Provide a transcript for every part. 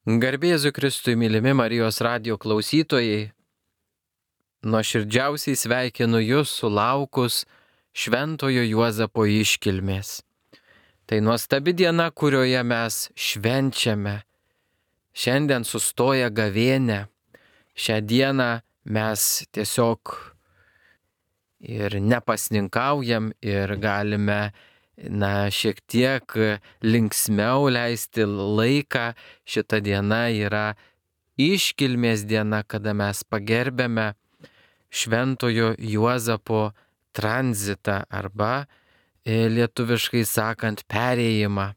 Garbė Jėzui Kristui, mylimi Marijos radijo klausytojai, nuoširdžiausiai sveikinu Jūs sulaukus Šventojo Juozapo iškilmės. Tai nuostabi diena, kurioje mes švenčiame. Šiandien sustoja gavėnia. Šią dieną mes tiesiog ir nepasninkaujam ir galime šiek tiek linksmiau leisti laiką. Šita diena yra iškilmės diena, kada mes pagerbėme Šventojo Juozapo tranzitą arba lietuviškai sakant perėjimą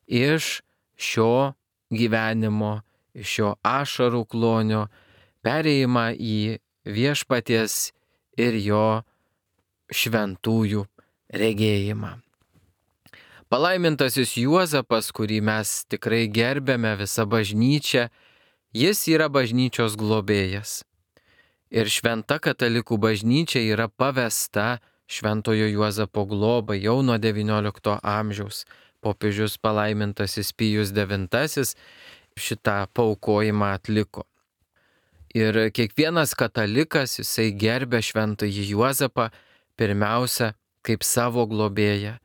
iš šio gyvenimo, iš šio ašarų klonio, perėjimą į viešpaties ir jo šventųjų regėjimą. Palaimintasis Juozapas, kurį mes tikrai gerbėme visą bažnyčią, jis yra bažnyčios globėjas. Ir šventa katalikų bažnyčia yra pavesta Šventojo Juozapo globai jau nuo XIX amžiaus. Popiežius palaimintasis Pijus IX šitą paaukojimą atliko. Ir kiekvienas katalikas, jisai gerbė Šventąjį Juozapą pirmiausia kaip savo globėją,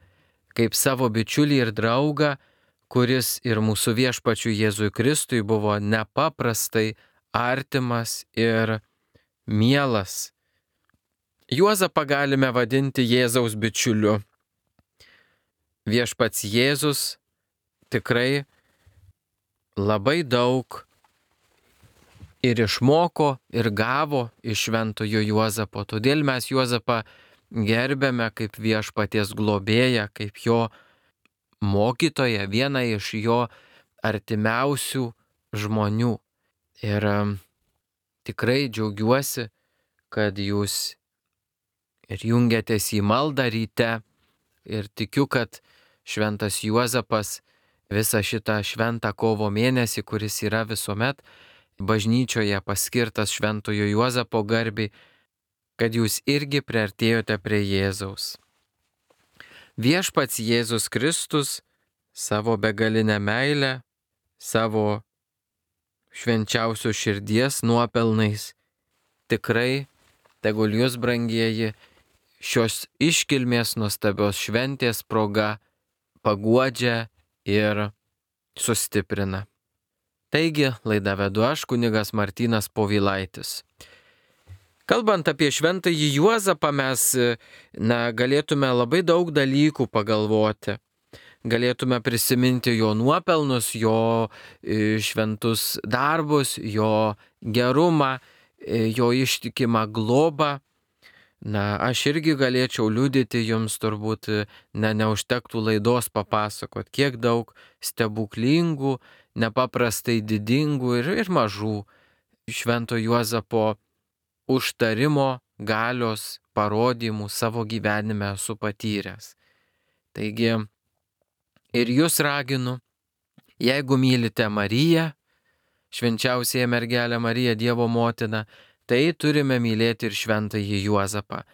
kaip savo bičiulį ir draugą, kuris ir mūsų viešpačiui Jėzui Kristui buvo nepaprastai artimas ir mielas. Juozapą galime vadinti Jėzaus bičiuliu. Viešpats Jėzus tikrai labai daug ir išmoko, ir gavo iš Šventojo Juozapo. Todėl mes Juozapą gerbėme kaip viešpaties globėją, kaip jo mokytoją, vieną iš jo artimiausių žmonių. Ir tikrai džiaugiuosi, kad jūs ir jungiatės į maldą ryte ir tikiu, kad Šventas Juozapas visą šitą šventą kovo mėnesį, kuris yra visuomet bažnyčioje paskirtas Šventojo Juozapo garbei, kad jūs irgi priartėjote prie Jėzaus. Viešpats Jėzus Kristus savo begalinę meilę, savo švenčiausios širdies nuopelnais tikrai tegul jūs, brangieji, šios iškilmės nuostabios šventės proga paguodžia ir sustiprina. Taigi, laidą vedu aš, kunigas Martynas Povilaitis. Kalbant apie Šventąjį Juozapą, mes galėtume labai daug dalykų pagalvoti. Galėtume prisiminti jo nuopelnus, jo šventus darbus, jo gerumą, jo ištikimą globą. Aš irgi galėčiau liudyti jums, turbūt neužtektų laidos papasakot, kiek daug stebuklingų, nepaprastai didingų ir mažų Švento Juozapo užtarimo galios parodymų savo gyvenime esu patyręs. Taigi ir jūs raginu, jeigu mylite Mariją, švenčiausiąją mergelę Mariją, Dievo motiną, tai turime mylėti ir Šventąjį Juozapą,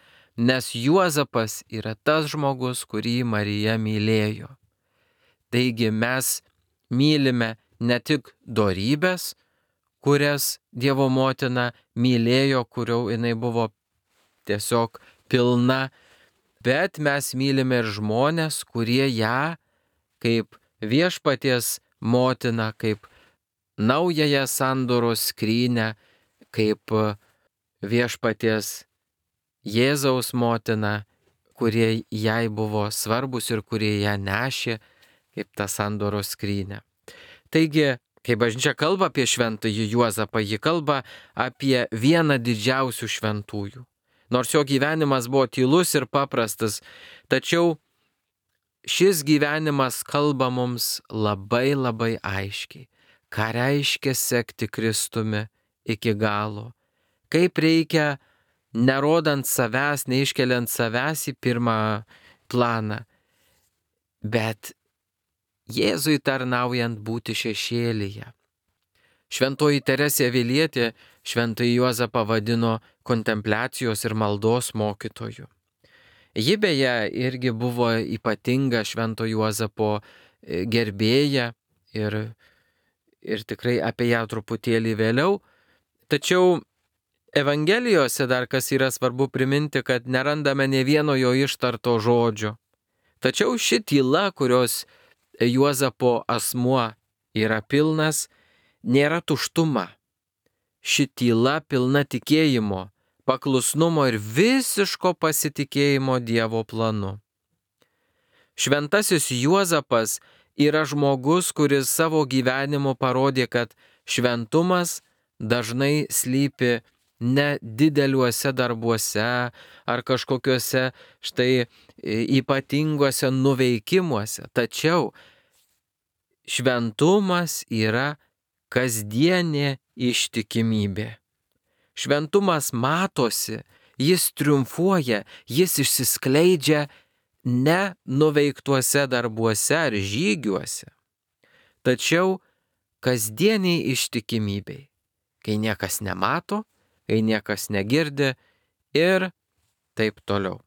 nes Juozapas yra tas žmogus, kurį Marija mylėjo. Taigi mes mylime ne tik dorybės, kurias Dievo motina mylėjo, kurių jinai buvo tiesiog pilna, bet mes mylime ir žmonės, kurie ją kaip viešpaties motina, kaip naująją sandoros skrynią, kaip viešpaties Jėzaus motina, kurie jai buvo svarbus ir kurie ją nešė kaip tą sandoros skrynią. Taigi, kai bažnyčia kalba apie Šventąjį Juozapą, ji kalba apie vieną didžiausių šventųjų. Nors jo gyvenimas buvo tylus ir paprastas, tačiau šis gyvenimas kalba mums labai labai aiškiai, ką reiškia sekti Kristumi iki galo, kaip reikia, nerodant savęs, neiškeliant savęs į pirmą planą, bet Jėzui tarnaujant būti šešėlyje. Šventoji Teresė Avilietė Šventąjį Juozapą vadino kontempliacijos ir maldos mokytoju. Ji beje irgi buvo ypatinga Švento Juozapo gerbėja ir ir tikrai apie ją truputėlį vėliau. Tačiau Evangelijose dar kas yra svarbu priminti, kad nerandame ne vieno jo ištarto žodžio. Tačiau ši tyla, kurios Juozapo asmuo yra pilnas, nėra tuštuma. Ši tyla pilna tikėjimo, paklusnumo ir visiško pasitikėjimo Dievo planu. Šventasis Juozapas yra žmogus, kuris savo gyvenimu parodė, kad šventumas dažnai slypi ne dideliuose darbuose ar kažkokiuose štai ypatinguose nuveikimuose. Tačiau šventumas yra kasdienė ištikimybė. Šventumas matosi, jis triumfuoja, jis išsiskleidžia ne nuveiktuose darbuose ar žygiuose, tačiau kasdieniai ištikimybei, kai niekas nemato, kai niekas negirdi ir taip toliau.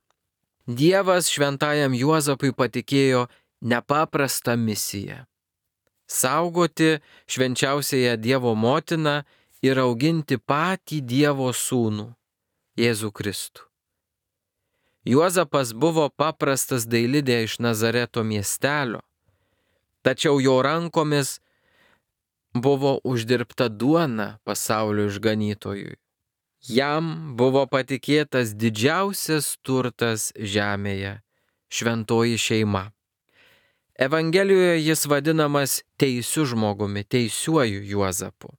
Dievas šventajam Juozapui patikėjo nepaprastą misiją - saugoti švenčiausiąją Dievo motiną ir auginti patį Dievo sūnų, Jėzų Kristų. Juozapas buvo paprastas dailidė iš Nazareto miestelio, tačiau jo rankomis buvo uždirbta duona pasaulio išganytojui. Jam buvo patikėtas didžiausias turtas žemėje - šventoji šeima. Evangelijoje jis vadinamas teisiu žmogumi, teisiuoju Juozapu.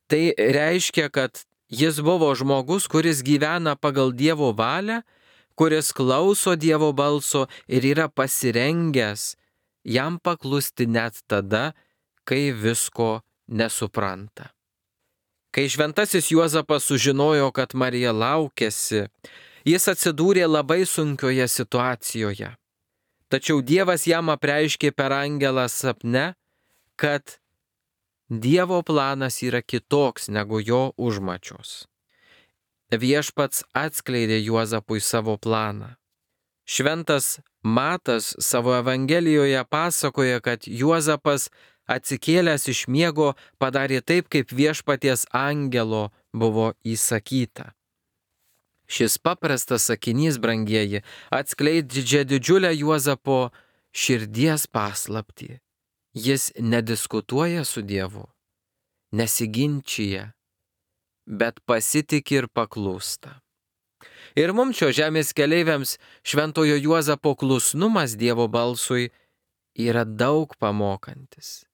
Tai reiškia, kad jis buvo žmogus, kuris gyvena pagal Dievo valią, kuris klauso Dievo balso ir yra pasirengęs jam paklusti net tada, kai visko nesupranta. Kai šventasis Juozapas sužinojo, kad Marija laukiasi, jis atsidūrė labai sunkioje situacijoje. Tačiau Dievas jam apreiškė per angelą sapne, kad Dievo planas yra kitoks negu jo užmačios. Viešpats atskleidė Juozapui savo planą. Šventas Matas savo Evangelijoje pasakoja, kad Juozapas atsikėlęs iš miego padarė taip, kaip viešpaties angelo buvo įsakyta. Šis paprastas sakinys, brangieji, atskleidžia didžiulę Juozapo širdies paslaptį. Jis nediskutuoja su Dievu, nesiginčija, bet pasitiki ir paklūsta. Ir mums šio žemės keleiviams šventojo Juozapo klusnumas Dievo balsui yra daug pamokantis.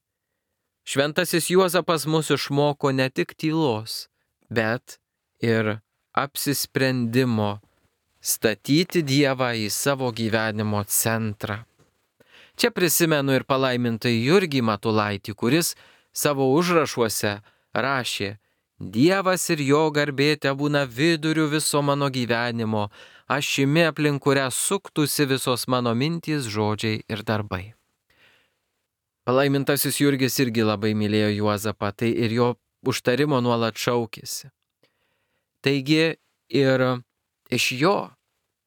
Šventasis Juozapas mus išmoko ne tik tylos, bet ir apsisprendimo statyti Dievą į savo gyvenimo centrą. Čia prisimenu ir palaimintąjį Jurgį Matulaitį, kuris savo užrašuose rašė: Dievas ir jo garbė tebūna viduriu viso mano gyvenimo, ašimi aplink kurią suktųsi visos mano mintys, žodžiai ir darbai. Palaimintasis Jurgis irgi labai mylėjo Juozapą, tai ir jo užtarimo nuolat šaukėsi. Taigi ir iš jo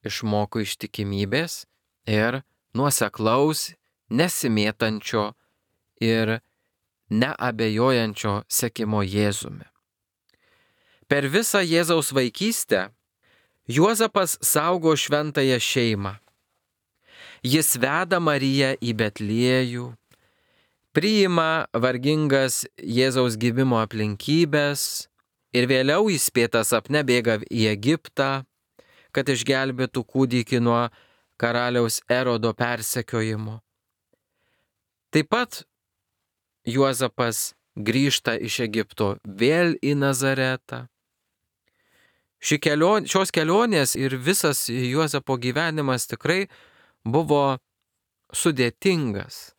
išmoko ištikimybės ir nuoseklaus, nesimėtančio ir neabejojančio sekimo Jėzumi. Per visą Jėzaus vaikystę Juozapas saugo šventąją šeimą. Jis veda Mariją į Betliejų, priima vargingas Jėzaus gimimo aplinkybės ir vėliau įspėtas sapne bėga į Egiptą, kad išgelbėtų kūdikį nuo karaliaus Erodo persekiojimo. Taip pat Juozapas grįžta iš Egipto vėl į Nazaretą. Šios kelionės ir visas Juozapo gyvenimas tikrai buvo sudėtingas.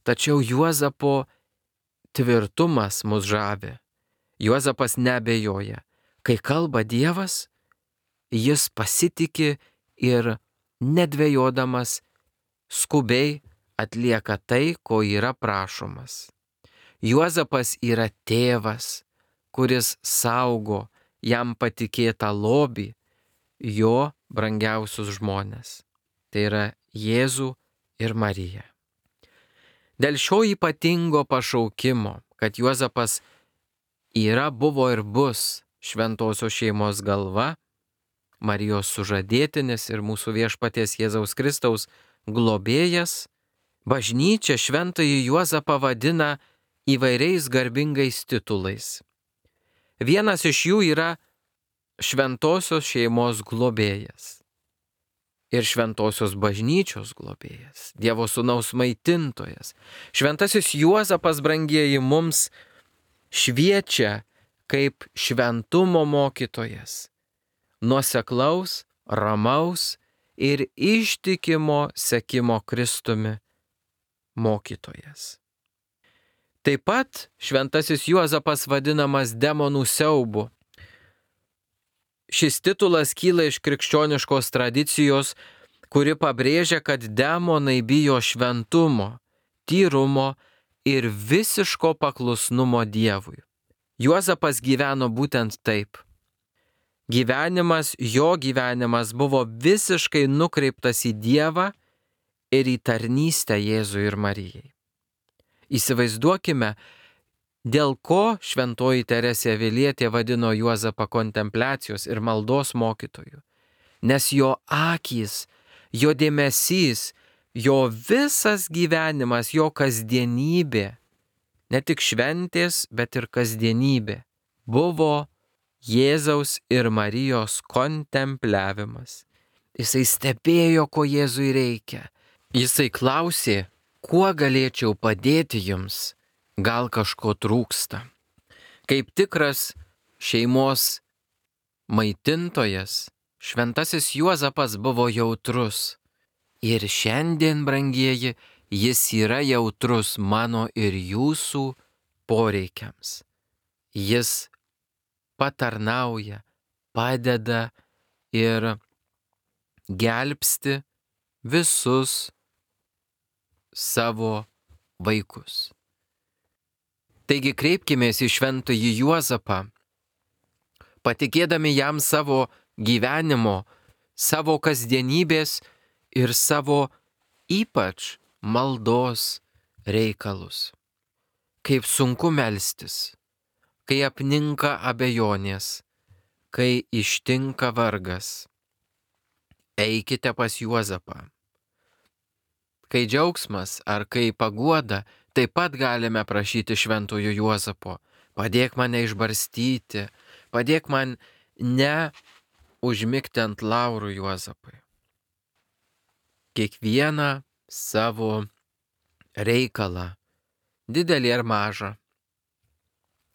Tačiau Juozapo tvirtumas mus žavi. Juozapas neabejoja. Kai kalba Dievas, jis pasitiki ir nedvejodamas skubiai atlieka tai, ko yra prašomas. Juozapas yra tėvas, kuris saugo jam patikėtą lobį, jo brangiausius žmones. Tai yra Jėzų ir Mariją. Dėl šio ypatingo pašaukimo, kad Juozapas yra, buvo ir bus šventosios šeimos galva, Marijos sužadėtinis ir mūsų viešpaties Jėzaus Kristaus globėjas, bažnyčia šventąjį Juozapą vadina įvairiais garbingais titulais. Vienas iš jų yra šventosios šeimos globėjas ir šventosios bažnyčios globėjas, Dievo Sūnaus maitintojas. Šventasis Juozapas, brangieji, mums šviečia kaip šventumo mokytojas, nuoseklaus, ramaus ir ištikimo sekimo Kristumi mokytojas. Taip pat šventasis Juozapas vadinamas demonų siaubu. Šis titulas kyla iš krikščioniškos tradicijos, kuri pabrėžia, kad demonai bijo šventumo, tyrumo ir visiško paklusnumo Dievui. Juozapas gyveno būtent taip. Jo gyvenimas buvo visiškai nukreiptas į Dievą ir į tarnystę Jėzui ir Marijai. Įsivaizduokime, dėl ko šventoji Teresė Avilietė vadino Juozapą kontempliacijos ir maldos mokytoju. Nes jo akys, jo dėmesys, jo visas gyvenimas, jo kasdienybė, ne tik šventės, bet ir kasdienybė, buvo Jėzaus ir Marijos kontempliavimas. Jisai stebėjo, ko Jėzui reikia. Jisai klausė, kuo galėčiau padėti jums, gal kažko trūksta. Kaip tikras šeimos maitintojas, šventasis Juozapas buvo jautrus. Ir šiandien, brangieji, jis yra jautrus mano ir jūsų poreikiams. Jis patarnauja, padeda ir gelbsti visus savo vaikus. Taigi kreipkimės į šventąjį Juozapą, patikėdami jam savo gyvenimo, savo kasdienybės ir savo ypač maldos reikalus. Kaip sunku melstis, kai apninka abejonės, kai ištinka vargas. Eikite pas Juozapą. Kai džiaugsmas ar kai paguoda, taip pat galime prašyti šventojo Juozapo. Padėk mane išbarstyti, padėk man ne užmigti ant laurų, Juozapai. Kiekvieną savo reikalą, didelį ar mažą,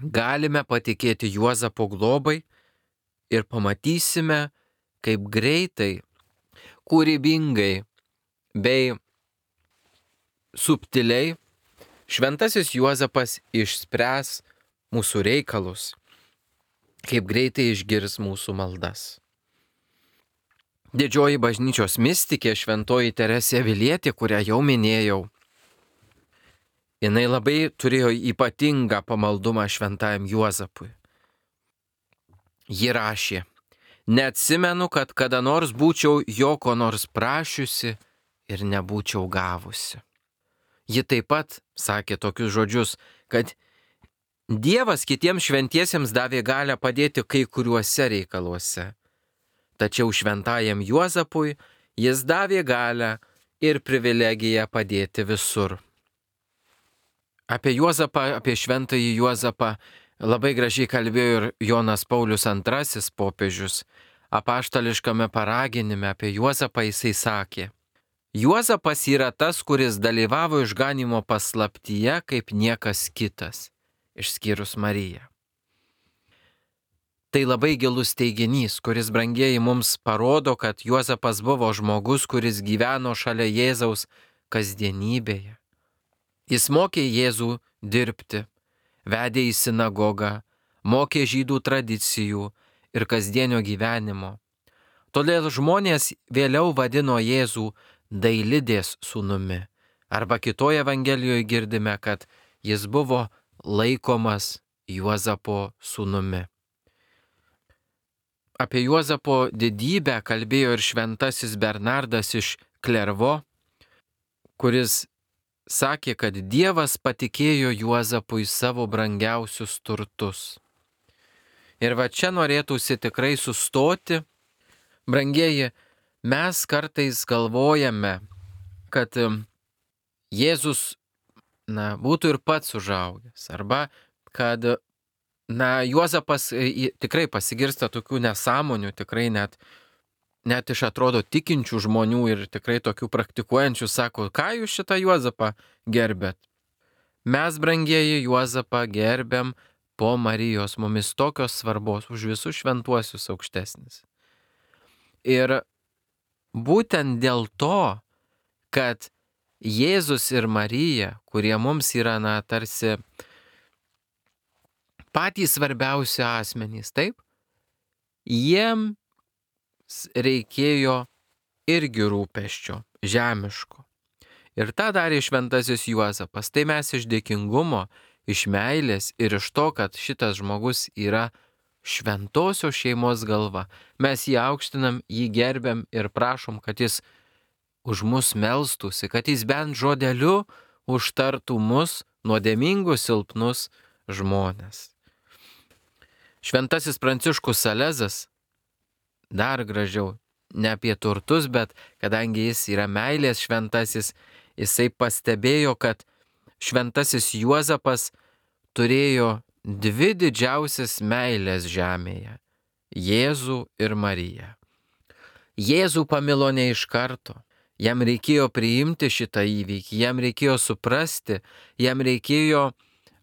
galime patikėti Juozapo globai ir pamatysime, kaip greitai, kūrybingai bei subtiliai šventasis Juozapas išspręs mūsų reikalus, kaip greitai išgirs mūsų maldas. Didžioji bažnyčios mistikė šventoji Teresė Avilietė, kurią jau minėjau, jinai labai turėjo ypatingą pamaldumą šventajam Juozapui. Ji rašė: neatsimenu, kad kada nors būčiau jo ko nors prašiusi ir nebūčiau gavusi. Ji taip pat sakė tokius žodžius, kad Dievas kitiems šventiesiems davė galią padėti kai kuriuose reikaluose, tačiau šventajam Juozapui jis davė galią ir privilegiją padėti visur. Apie Juozapą, apie šventąjį Juozapą labai gražiai kalbėjo ir Jonas Paulius II popiežius. Apaštališkame paraginime apie Juozapą jisai sakė: Juozapas yra tas, kuris dalyvavo išganymo paslaptyje kaip niekas kitas, išskyrus Mariją. Tai labai gilus teiginys, kuris, brangieji, mums parodo, kad Juozapas buvo žmogus, kuris gyveno šalia Jėzaus kasdienybėje. Jis mokė Jėzų dirbti, vedė į sinagogą, mokė žydų tradicijų ir kasdienio gyvenimo. Todėl žmonės vėliau vadino Jėzų Dailidės sūnumi. Arba kitoje Evangelijoje girdime, kad jis buvo laikomas Juozapo sūnumi. Apie Juozapo didybę kalbėjo ir šventasis Bernardas iš Klervo, kuris sakė, kad Dievas patikėjo Juozapui savo brangiausius turtus. Ir va čia norėtųsi tikrai sustoti. Brangieji, mes kartais galvojame, kad Jėzus, būtų ir pats užaugęs, arba kad, Juozapas tikrai pasigirsta tokių nesąmonių, tikrai net iš atrodo tikinčių žmonių ir tikrai tokių praktikuojančių sako, ką jūs šitą Juozapą gerbėt? Mes, brangieji, Juozapą gerbiam po Marijos, mumis tokios svarbos, už visus šventuosius aukštesnis. Ir būtent dėl to, kad Jėzus ir Marija, kurie mums yra, tarsi patys svarbiausi asmenys, taip? Jiems reikėjo irgi rūpesčio, žemiško. Ir tą darė šventasis Juozapas. Tai mes iš dėkingumo, iš meilės ir iš to, kad šitas žmogus yra šventosios šeimos galva. Mes jį aukštinam, jį gerbiam ir prašom, kad jis už mus melstųsi, kad jis bent žodeliu užtartų mus, nuodėmingus, silpnus žmonės. Šventasis Pranciškus Salezas, dar gražiau, ne apie turtus, bet kadangi jis yra meilės šventasis, jisai pastebėjo, kad šventasis Juozapas turėjo dvi didžiausias meilės žemėje - Jėzų ir Mariją. Jėzų pamilo ne iš karto. Jam reikėjo priimti šitą įvykį, jam reikėjo suprasti, jam reikėjo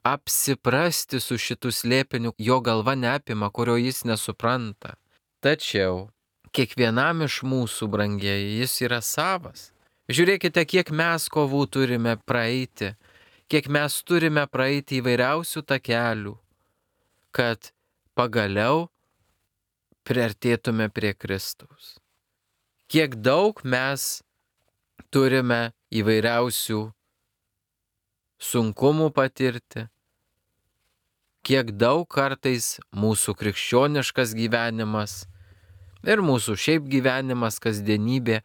apsiprasti su šitu slėpiniu, jo galva neapima, kurio jis nesupranta. Tačiau kiekvienam iš mūsų, brangieji, jis yra savas. Žiūrėkite, kiek mes kovų turime praeiti, kiek mes turime praeiti įvairiausių takelių, kad pagaliau priartėtume prie Kristaus. Kiek daug mes turime įvairiausių sunkumų patirti, kiek daug kartais mūsų krikščioniškas gyvenimas ir mūsų šiaip gyvenimas, kasdienybė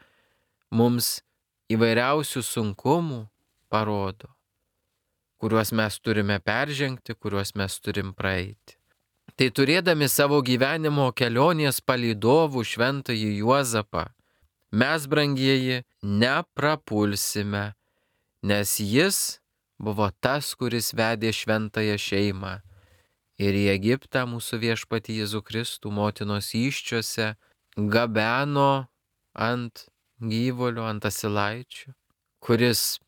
mums įvairiausių sunkumų parodo, kuriuos mes turime peržengti, kuriuos mes turim praeiti. Tai turėdami savo gyvenimo kelionės palydovų šventąjį Juozapą, mes, brangieji, neprapulsime, nes jis buvo tas, kuris vedė šventąją šeimą ir į Egiptą mūsų viešpatį Jėzų Kristų motinos įsčiose gabeno ant gyvulių, ant asilaičių, kuris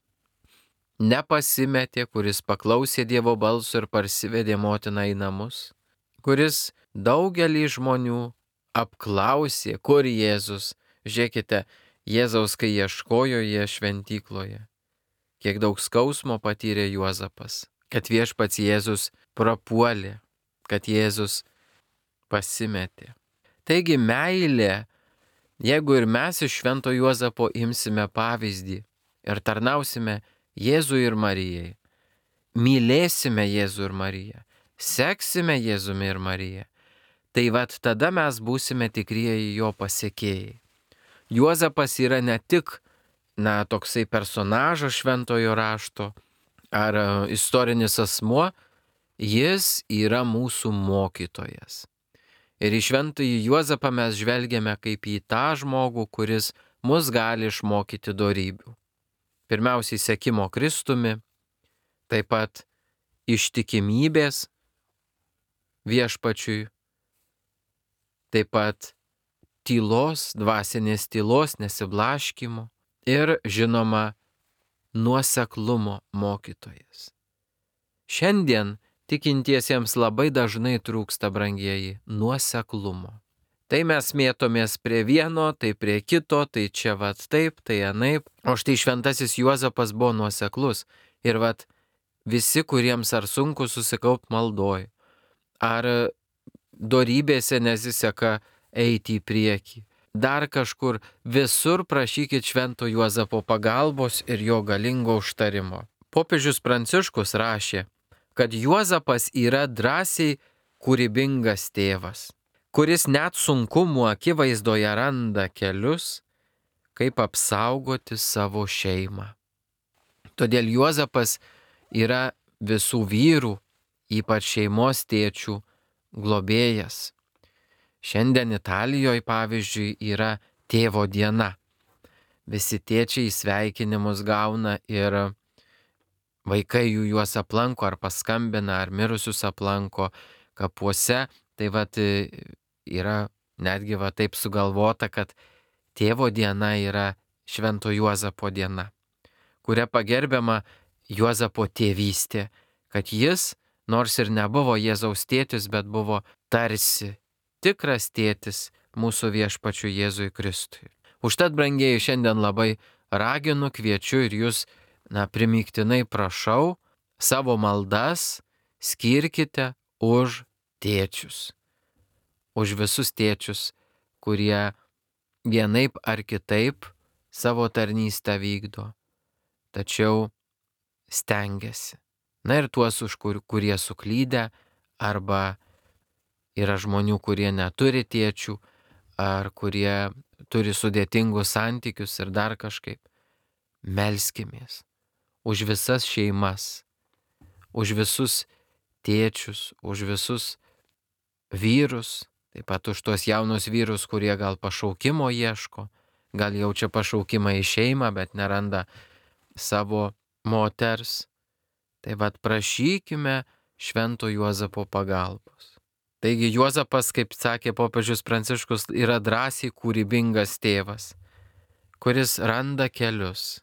nepasimetė, kuris paklausė Dievo balso ir parsivedė motiną į namus, kuris daugelį žmonių apklausė, kur Jėzus. Žiūrėkite, Jėzaus, kai ieškojo jie šventykloje, kiek daug skausmo patyrė Juozapas, kad viešpats Jėzus prapuolė, kad Jėzus pasimetė. Taigi meilė, jeigu ir mes iš švento Juozapo imsime pavyzdį ir tarnausime Jėzui ir Marijai, mylėsime Jėzų ir Mariją, seksime Jėzumi ir Mariją, tai vat tada mes būsime tikrieji jo pasekėjai. Juozapas yra ne tik, toksai personažas šventojo rašto ar istorinis asmuo, jis yra mūsų mokytojas. Ir į šventąjį Juozapą mes žvelgiame kaip į tą žmogų, kuris mus gali išmokyti dorybių. Pirmiausiai sekimo Kristumi, taip pat ištikimybės viešpačiui, taip pat tylos, dvasinės tylos, nesiblaškymo ir, žinoma, nuoseklumo mokytojas. Šiandien tikintiesiems labai dažnai trūksta, brangieji, nuoseklumo. Tai mes mėtomės prie vieno, tai prie kito, tai čia vat taip, tai anaip. O štai šventasis Juozapas buvo nuoseklus. Ir vat visi, kuriems ar sunku susikaupt maldoj, ar dorybėse nesiseka eiti į priekį, dar kažkur, visur prašykit švento Juozapo pagalbos ir jo galingo užtarimo. Popiežius Pranciškus rašė, kad Juozapas yra drąsiai kūrybingas tėvas, kuris net sunkumų akivaizdoje randa kelius, kaip apsaugoti savo šeimą. Todėl Juozapas yra visų vyrų, ypač šeimos tėčių, globėjas. Šiandien Italijoje, pavyzdžiui, yra tėvo diena. Visi tėčiai sveikinimus gauna ir vaikai juos aplanko ar paskambina, ar mirusius aplanko kapuose. Tai yra netgi taip sugalvota, kad tėvo diena yra Švento Juozapo diena, kuria pagerbiama Juozapo tėvystė, kad jis, nors ir nebuvo Jėzaus tėtis, bet buvo tarsi tikras tėtis mūsų viešpačiui Jėzui Kristui. Užtat, brangieji, šiandien labai raginu, kviečiu ir jūs, primygtinai prašau, savo maldas skirkite už tėčius. Už visus tėčius, kurie vienaip ar kitaip savo tarnystę vykdo, tačiau stengiasi. Na ir tuos, kurie suklydę, arba yra žmonių, kurie neturi tėčių, ar kurie turi sudėtingus santykius ir dar kažkaip. Melskimės už visas šeimas, už visus tėčius, už visus vyrus, taip pat už tuos jaunus vyrus, kurie gal pašaukimo ieško, gal jaučia pašaukimą į šeimą, bet neranda savo moters. Tai prašykime Švento Juozapo pagalbos. Taigi Juozapas, kaip sakė popiežius Pranciškus, yra drąsiai kūrybingas tėvas, kuris randa kelius.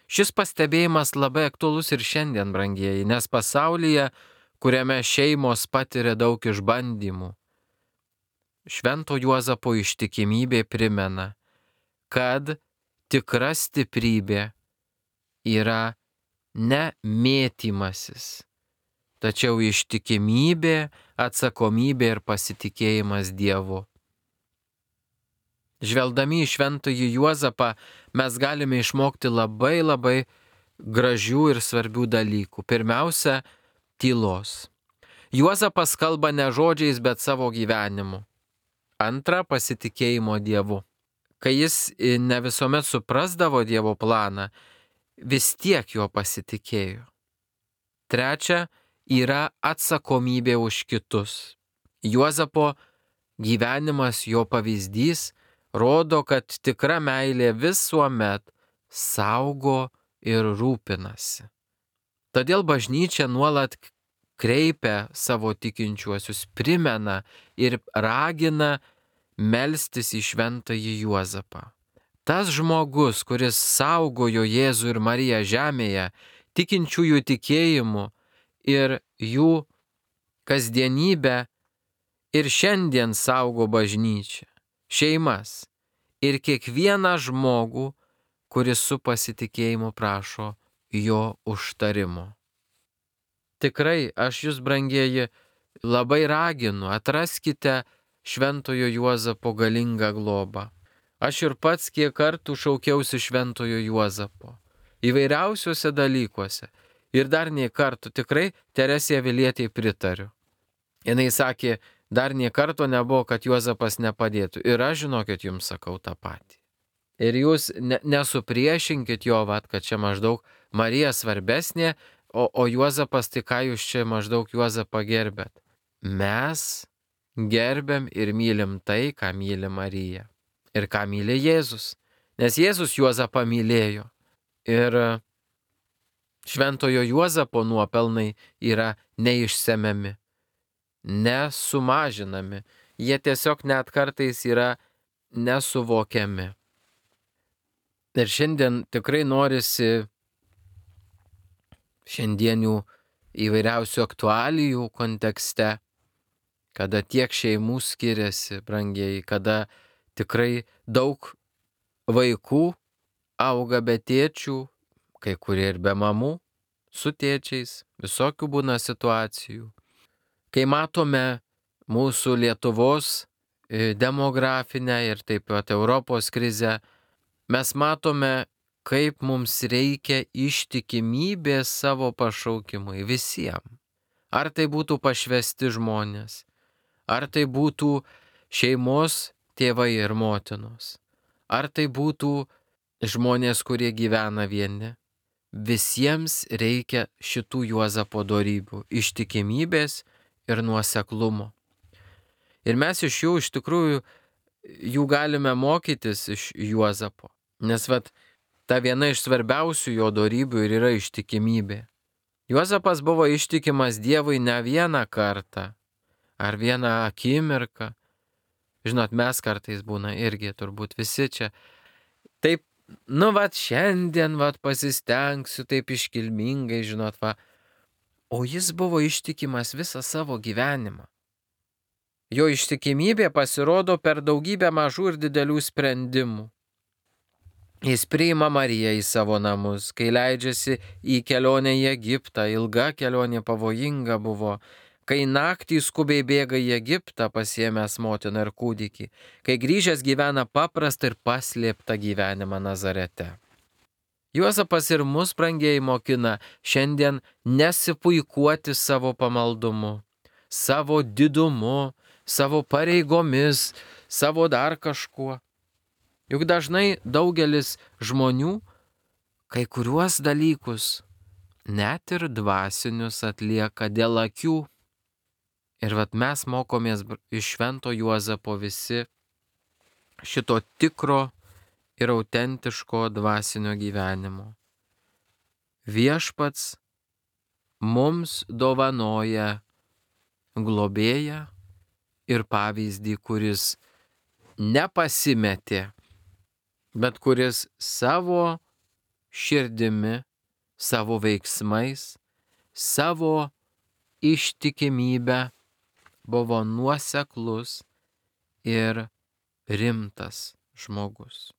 Šis pastebėjimas labai aktualus ir šiandien, brangieji, nes pasaulyje, kuriame šeimos patiria daug išbandymų, Švento Juozapo ištikimybė primena, kad tikra stiprybė yra ne mėtymasis, tačiau ištikimybė, atsakomybė ir pasitikėjimas Dievu. Žvelgdami į Šventąjį Juozapą mes galime išmokti labai gražių ir svarbių dalykų. Pirmiausia, tylos. Juozapas kalba ne žodžiais, bet savo gyvenimu. Antra, pasitikėjimo Dievu. Kai jis ne visuomet suprasdavo Dievo planą, vis tiek juo pasitikėjo. Trečia, yra atsakomybė už kitus. Juozapo gyvenimas, jo pavyzdys, rodo, kad tikra meilė visuomet saugo ir rūpinasi. Todėl bažnyčia nuolat kreipia savo tikinčiuosius, primena ir ragina melstis į Šventąjį Juozapą. Tas žmogus, kuris saugojo Jėzų ir Mariją žemėje, tikinčiųjų tikėjimu ir jų kasdienybę, ir šiandien saugo bažnyčią, šeimas ir kiekvieną žmogų, kuris su pasitikėjimu prašo jo užtarimo. Tikrai aš jūs, brangieji, labai raginu, atraskite Šventojo Juozapo galingą globą. Aš ir pats kiek kartų šaukiausi Šventojo Juozapo įvairiausiuose dalykuose. Ir dar nei kartų tikrai Teresei Avilietei pritariu. Jinai sakė, dar nei karto nebuvo, kad Juozapas nepadėtų. Ir aš, žinokit, jums sakau tą patį. Ir jūs nesupriešinkit jo, kad čia maždaug Marija svarbesnė, o Juozapas, tai ką jūs čia maždaug Juozapą gerbėt. Mes gerbiam ir mylim tai, ką myli Marija. Ir ką myli Jėzus. Nes Jėzus Juozapą mylėjo. Ir Šventojo Juozapo nuopelnai yra neišsemiami, nesumažinami. Jie tiesiog net kartais yra nesuvokiami. Ir šiandien tikrai norisi šiandienių įvairiausių aktualijų kontekste, kada tiek šeimų skiriasi, brangieji, kada tikrai daug vaikų auga be tėčių, kai kurie ir be mamų, su tėčiais, visokių būna situacijų. Kai matome mūsų Lietuvos demografinę ir taip pat Europos krizę, mes matome, kaip mums reikia ištikimybės savo pašaukimui visiems. Ar tai būtų pašvesti žmonės, ar tai būtų šeimos tėvai ir motinos, ar tai būtų žmonės, kurie gyvena vieni. visiems reikia šitų Juozapo dorybių - ištikimybės ir nuoseklumo. Ir mes iš jų iš tikrųjų jų galime mokytis iš Juozapo. Nes ta viena iš svarbiausių jo dorybių ir yra ištikimybė. Juozapas buvo ištikimas Dievui ne vieną kartą ar vieną akimirką. Žinot, mes kartais būna irgi, turbūt visi čia. Taip, šiandien pasistengsiu taip iškilmingai, žinot, O jis buvo ištikimas visą savo gyvenimą. Jo ištikimybė pasirodo per daugybę mažų ir didelių sprendimų. Jis priima Mariją į savo namus, kai leidžiasi į kelionę į Egiptą, ilga kelionė pavojinga buvo, kai naktį skubiai bėga į Egiptą pasiėmęs motiną ir kūdikį, kai grįžęs gyvena paprastą ir paslėptą gyvenimą Nazarete. Juozapas ir mus, brangieji, mokina šiandien nesipuikuoti savo pamaldumu, savo didumu, savo pareigomis, savo dar kažkuo. Juk dažnai daugelis žmonių kai kuriuos dalykus, net ir dvasinius, atlieka dėl akių. Ir mes mokomės iš Švento Juozapo visi šito tikro ir autentiško dvasinio gyvenimo. Viešpats mums dovanoja globėją ir pavyzdį, kuris nepasimetė, bet kuris savo širdimi, savo veiksmais, savo ištikimybę buvo nuoseklus ir rimtas žmogus.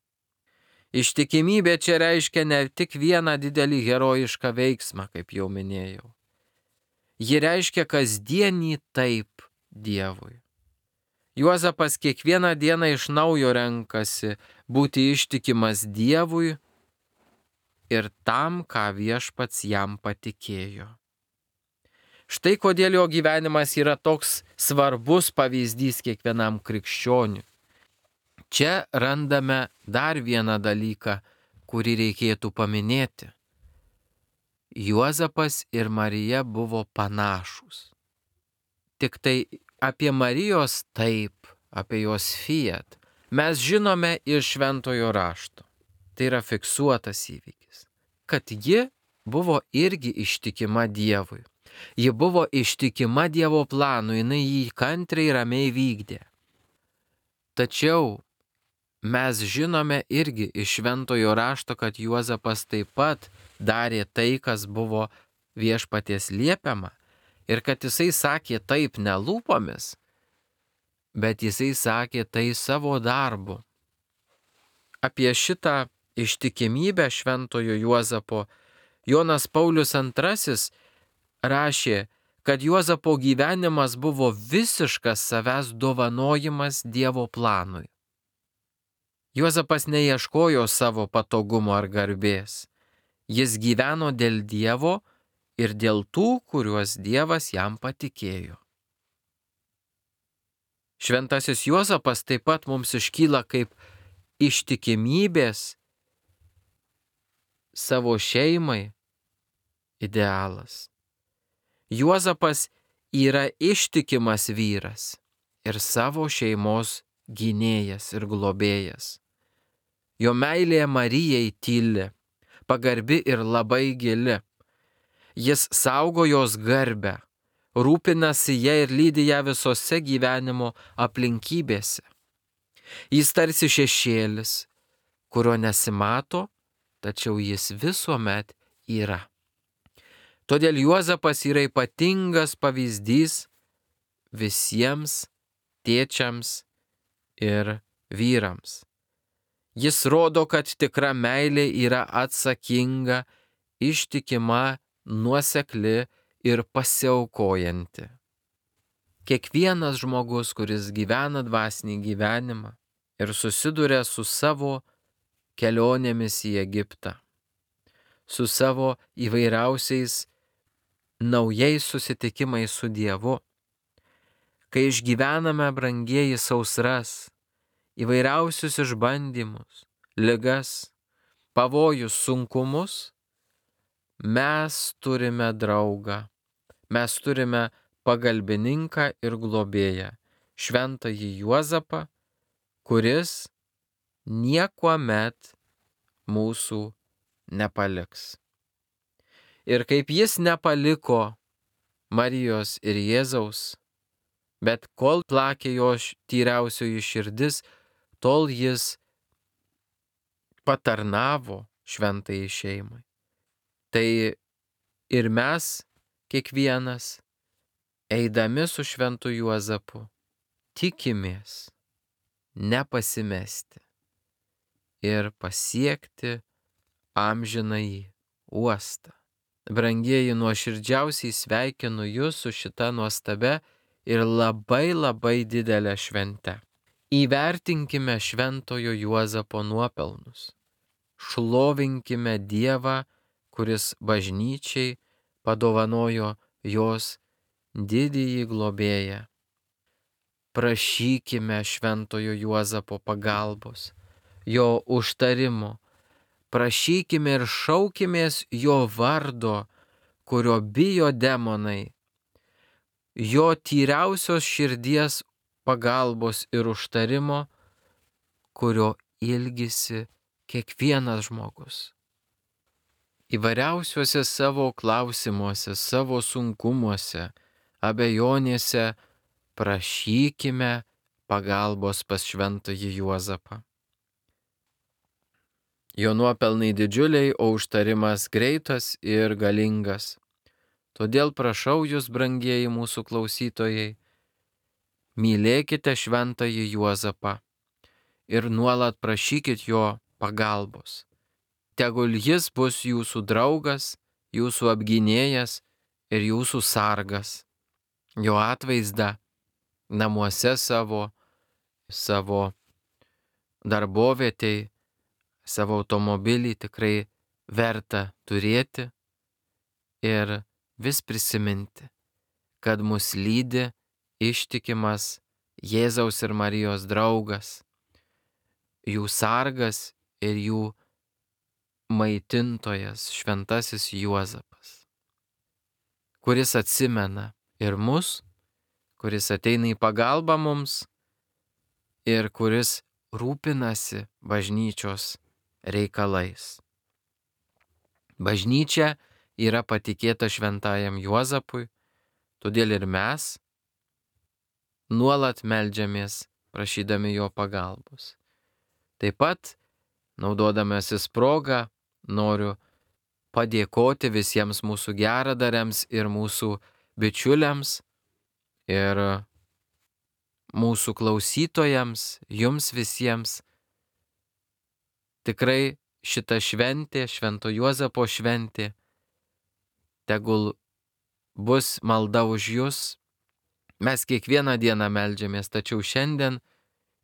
Ištikimybė čia reiškia ne tik vieną didelį herojišką veiksmą, kaip jau minėjau. Ji reiškia kasdienį taip Dievui. Juozapas kiekvieną dieną iš naujo renkasi būti ištikimas Dievui ir tam, ką viešpats jam patikėjo. Štai kodėl jo gyvenimas yra toks svarbus pavyzdys kiekvienam krikščioniui. Čia randame dar vieną dalyką, kurį reikėtų paminėti. Juozapas ir Marija buvo panašūs. Tik tai apie Marijos taip, apie jos fiat, mes žinome iš Šventojo rašto. Tai yra fiksuotas įvykis, kad ji buvo irgi ištikima Dievui. Ji buvo ištikima Dievo planui, jinai jį kantriai ramiai vykdė. Tačiau mes žinome irgi iš Šventojo rašto, kad Juozapas taip pat darė tai, kas buvo viešpaties liepiama, ir kad jisai sakė taip ne lūpomis, bet jisai sakė tai savo darbu. Apie šitą ištikimybę Šventojo Juozapo Jonas Paulius II rašė, kad Juozapo gyvenimas buvo visiškas savęs dovanojimas Dievo planui. Juozapas neieškojo savo patogumo ar garbės. Jis gyveno dėl Dievo ir dėl tų, kuriuos Dievas jam patikėjo. Šventasis Juozapas taip pat mums iškyla kaip ištikimybės savo šeimai idealas. Juozapas yra ištikimas vyras ir savo šeimos gynėjas ir globėjas. Jo meilė Marijai tyli, pagarbi ir labai gili. Jis saugo jos garbę, rūpinasi ją ir lydi ją visose gyvenimo aplinkybėse. Jis tarsi šešėlis, kurio nesimato, tačiau jis visuomet yra. Todėl Juozapas yra ypatingas pavyzdys visiems tėčiams ir vyrams. Jis rodo, kad tikra meilė yra atsakinga, ištikima, nuosekli ir pasiaukojanti. Kiekvienas žmogus, kuris gyvena dvasinį gyvenimą ir susiduria su savo kelionėmis į Egiptą, su savo įvairiausiais naujais susitikimais su Dievu, kai išgyvename, brangieji, sausras, įvairiausius išbandymus, ligas, pavojus, sunkumus, mes turime draugą, mes turime pagalbininką ir globėją, šventąjį Juozapą, kuris niekuomet mūsų nepaliks. Ir kaip jis nepaliko Marijos ir Jėzaus, bet kol plakė jo tyriausioji širdis, tol jis patarnavo šventajai šeimai. Tai ir mes, kiekvienas, eidami su šventu Juozapu, tikimės nepasimesti ir pasiekti amžinąjį uostą. Brangieji, nuoširdžiausiai sveikinu Jūs su šita nuostabia ir labai didelė švente. Įvertinkime šventojo Juozapo nuopelnus. Šlovinkime Dievą, kuris bažnyčiai padovanojo jos didįjį globėją. Prašykime šventojo Juozapo pagalbos, jo užtarimo. Prašykime ir šaukimės jo vardo, kurio bijo demonai, jo tyriausios širdies pagalbos ir užtarimo, kurio ilgisi kiekvienas žmogus. Įvairiausiuose savo klausimuose, savo sunkumuose, abejonėse prašykime pagalbos pas šventąjį Juozapą. Jo nuopelnai didžiuliai, o užtarimas greitas ir galingas. Todėl prašau Jūs, brangieji mūsų klausytojai, mylėkite šventąjį Juozapą ir nuolat prašykit jo pagalbos. Tegul jis bus jūsų draugas, jūsų apgynėjas ir jūsų sargas. Jo atvaizdą namuose savo darbovietėj, savo automobilį tikrai verta turėti ir vis prisiminti, kad mus lydi ištikimas Jėzaus ir Marijos draugas, jų sargas ir jų maitintojas šventasis Juozapas, kuris atsimena ir mus, kuris ateina į pagalbą mums ir kuris rūpinasi bažnyčios reikalais. Bažnyčia yra patikėta šventajam Juozapui, todėl ir mes nuolat meldžiamės prašydami jo pagalbos. Taip pat, naudodamasis progą, noriu padėkoti visiems mūsų geradariams ir mūsų bičiuliams ir mūsų klausytojams, jums visiems. Tikrai šita šventė, Švento Juozapo šventė, tegul bus malda už jūs. Mes kiekvieną dieną meldžiamės, tačiau šiandien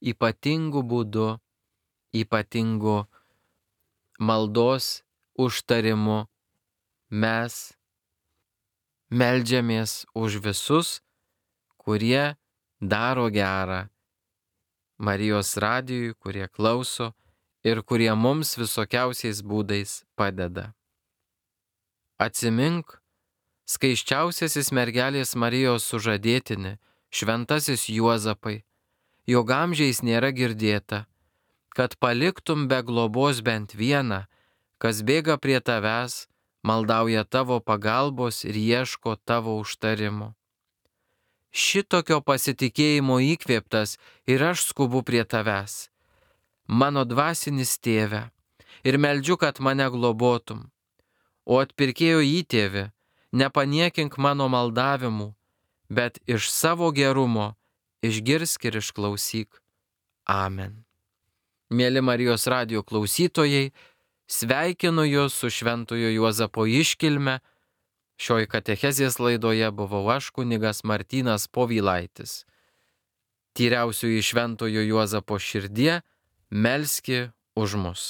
ypatingu būdu, ypatingu maldos užtarimu mes meldžiamės už visus, kurie daro gerą Marijos radijui, kurie klauso ir kurie mums visokiausiais būdais padeda. Atsimink, skaisčiausiasis mergelės Marijos sužadėtini, šventasis Juozapai, jog amžiais nėra girdėta, kad paliktum be globos bent vieną, kas bėga prie tavęs, maldauja tavo pagalbos ir ieško tavo užtarimo. Šitokio pasitikėjimo įkvėptas ir aš skubu prie tavęs, mano dvasinis tėve, ir meldžiu, kad mane globotum. O atpirkėjo įtėvi, nepaniekink mano maldavimų, bet iš savo gerumo išgirsk ir išklausyk. Amen. Mėly Marijos radijo klausytojai, sveikinu Jūs su Šventojo Juozapo iškilme. Šioj katechezės laidoje buvau aš, kunigas Martynas Povilaitis. Tyriausioji Šventojo Juozapo širdie, melski už mus.